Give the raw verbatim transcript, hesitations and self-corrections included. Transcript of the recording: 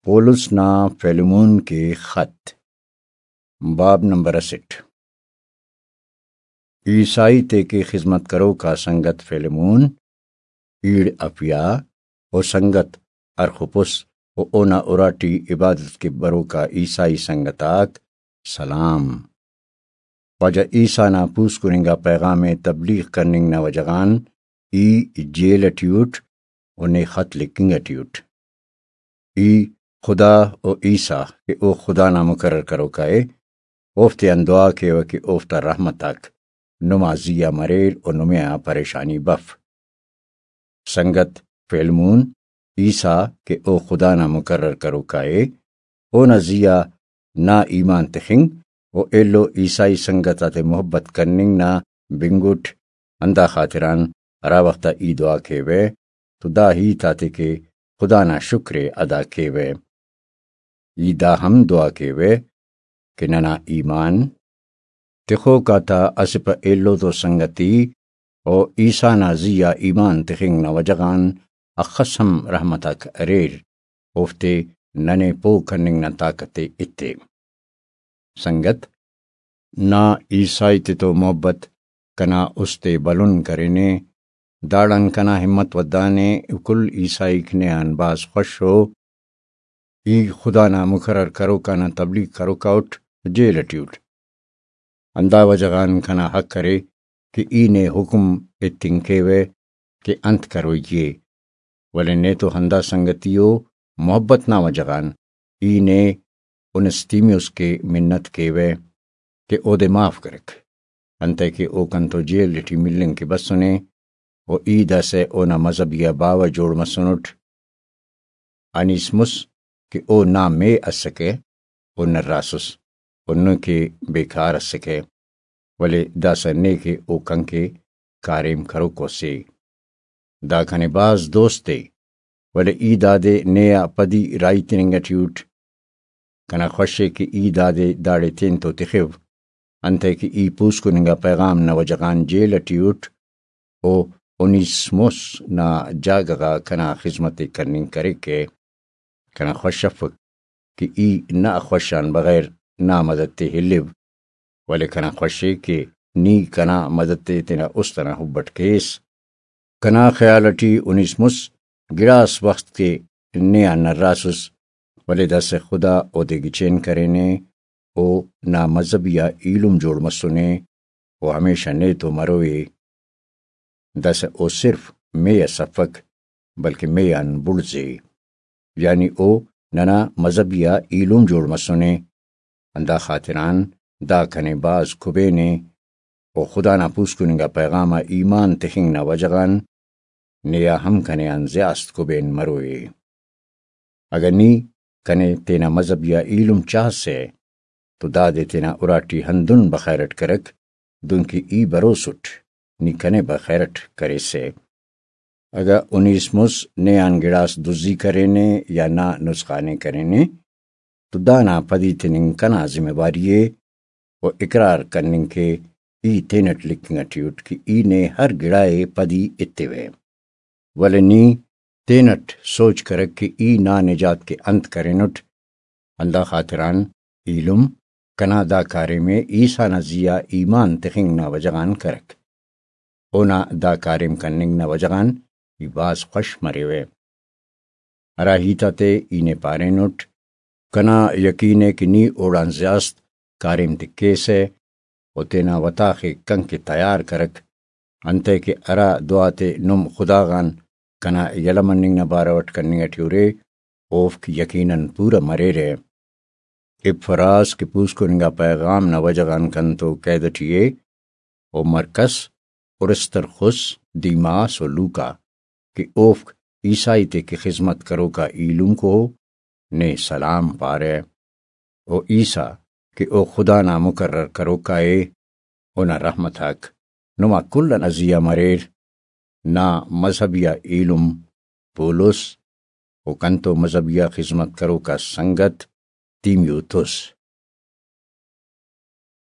پولس نا فیلمون کے خط۔ باب نمبر اسٹ۔ عیسائی تے کہ خذمت کروکا سنگت فیلمون، ایڑ افیا و سنگت ارخپس و اونا اراٹی عبادت کہ بروکا عیسائی سنگت آک سلام۔ واجہ عیسیٰ نا پوسکن انگا پیغام ءِ تبلیغ کننگ نا وجہ غان ای جیل ٹی اٹ و نے خط لکھنگ ٹی اٹ۔ ای خدا و عیسیٰ کہ او خدا نا مقرر کروکا ءِ، اوفتے آن دعا کیوہ کہ اوفتا رحمت آک نما زی آ مریر و نمے آ پریشانی بف۔ سنگت فیلمون، عیسیٰ کہ او خدا نا مقرر کروکا ءِ، اونا زی آ نا ایمان تخنگ و ایلو عیسائی سنگت آتے محبت کننگ نا بنگٹ، ہندا خاطران ہرا وخت آ ای دعا کیوہ تو دا ہیت آتے کہ خدا نا شکر ءِ ادا کیوہ۔ ای دا ہم دعا کیوہ کہ ننا ایمان تخوک آتا اسہ پہ ایلو تو سنگتی و عیسیٰ نا زی آ ایمان تخنگ نا وجہ غان اخس ہم رحمت آک اریر، اوفتے ننے پہہ کننگ نا طاقت ءِ ایتے۔ سنگت، نا عیسائی تتو محبت کنا است ءِ بھلن کرینے، داڑان کنا ہمت ودانے، کل عیسائیک نے آن بھاز خوش ءُ۔ ای خدا نا مقرر کروکا نا تبلیغ کروکا اٹ، جیل ٹی اٹ۔ ہندا وجہ غان کنا حق ارے کہ ای نے حکم ایتنگ کیوہ کہ انت کروئی ءِ، ولے نیتو ہندا سنگتی و محبت نا وجہ غان ای نے اونستیمیوس کہ منت کیوہ کہ اودے معاف کرک، انتئے کہ او کنتو جیل ٹی ملنگ کہ بسنے و ای داسہ اونا مذہبی آ باوہ جوڑ مسنٹ۔ انیسمس کہ او نا مے اسکہ، او نراسس، و نن کہ بیکار اسکہ، ولے داسہ نے کہ او کنکہ کاریم کروکو سے۔ دا کنے بھاز دوست ءِ، ولے ای دادے نے آ پدی راہی تننگ ٹی اٹ۔ کنا خوش ءِ کہ ای دادے داڑے تینتو تخو، انتئے کہ ای پوسکن انگا پیغام نا وجہ غان جیل ٹی اٹ، و اونیسموس نا جاگہ غا کنا خذمت ءِ کننگ کریکہ۔ کنا خوش افک کہ ای نا خوش آن بغیر نا مدد تے ہلیو، ولے کنا خوش ءِ کہ نی کنا مدد تے تینا است ئنا حب اٹ کیس۔ کنا خیال ٹی اونیسموس گڑاس وخت کہ نے آن نراسس، ولے داسہ خدا اودے گچین کرینے، او نا مذہبی آ ایلم جوڑ مسنے، او ہمیشہ نے تو مروئے۔ داسہ او صرف مے اس افک، بلکہ مے آن بڑزے، یعنی او ننا مذہبی آ ایلم جوڑ مسنے۔ ہندا خاطران دا کنے بھاز کبینے، و خدا نا پوسکن انگا پیغام آ ایمان تخنگ نا وجہ غان نے آ ہم کنے آن زیاست کبین مروئے۔ اگہ نی کنے تینا مذہبی آ ایلم چاہسہ تو دادے تینا اراٹی ہندن بخیر اٹ کرک، دنکہ ای بروسٹ نی کنے بخیر اٹ کریسہ۔ اگہ اونیسموس نے آن گڑاس دزی کرینے یا نا نسخانے کرینے، تو دانا پدی تننگ کنا ذمہ واری ءِ، و اقرار کننگ کہ ای تینٹ لکھنگ ٹی اٹ کہ ای نے ہر گڑا ءِ پدی ایتیوہ۔ ولے نی تینٹ سوچ کرک کہ ای نا نجات کہ انت کرینٹ، ہندا خاطران ایلم کنا دا کاریم ءِ عیسیٰ نا زی آ ایمان تخنگ نا وجہ غان کرک۔ اونا دا کاریم کننگ نا وجہ غان ای بھاز خوش مریوہ۔ ہرا ہیت آتے ای نے پارینٹ، کنا یقین ءِ کہ نی اوڑان زیاست کاریم تے کیسہ و تینا وتاخ ءِ کنکہ تیار کرک، انتئے کہ ہرا دعا تے نم خدا غان کنا یلہ مننگ نا بارو اٹ کننگ ٹی ارے، اوفک یقیناً پورہ مریرہ۔ ابفراس کہ پوسکن انگا پیغام نا وجہ غان کنتو قید ٹی ءِ، و مرکس، ارسترخس، دیماس و لوکا کہ اوفک عیسائی تے کہ خذمت کروکا ایلمکو ءُ، نے سلام پارہ۔ و عیسیٰ کہ او خدا نا مقرر کروکا ءِ، اونا رحمت آک نما کل ئنا زی آ مریر۔ نا مذہبی آ ایلم پولس و کنتو مذہبی آ خذمت کروکا سنگت تیمیوتس۔